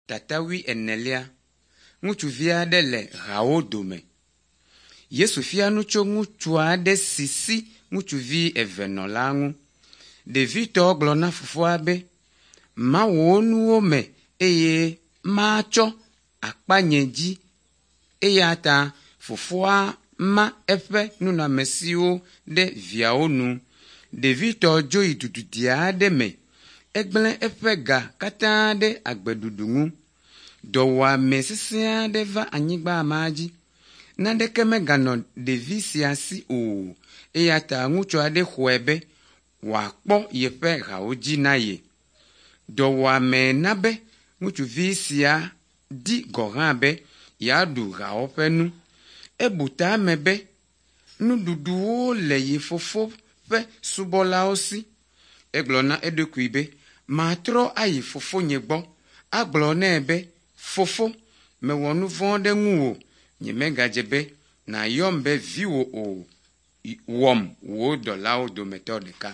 Tata wuienelia. Ŋutsuvi aɖe le hawo dome. Yesu fia nu tso ŋutsu aɖe si si ŋutsuvi eve nɔ la ŋu. Ɖevitɔ gblɔ na fofoa be, “Ma wò nuwo me eye matsɔ akpa nye dzi.” Eya ta fofoa ma eƒe nunɔamesiwo ɖe viawo nu. Ɖevitɔ dzo yi du didi aɖe me. Egblẽ eƒe ga katã ɖe agbeɖuɖu ŋu. Dɔwɔame sesẽ aɖe va anyigba ma dzi. Naneke meganɔ ɖevi sia si o eya ta ŋutsu aɖe xɔe be wòakpɔ yeƒe hawo dzi na ye. Dɔwɔame na be ŋutsuvi sia di gɔ̃ hã be yeaɖu hawo ƒe nu. Ebu tame be nuɖuɖuwo le ye fofo ƒe subɔlawo si. Egblɔ na eɖokui be, “Matrɔ ayi fofonye gbɔ agblɔ nɛ be, Fofo, mewɔ nu vɔ̃ ɖe ŋuwò. Nyemegadze be nàyɔm be viwò o. Wɔm wò dɔlawo dometɔ ɖeka.”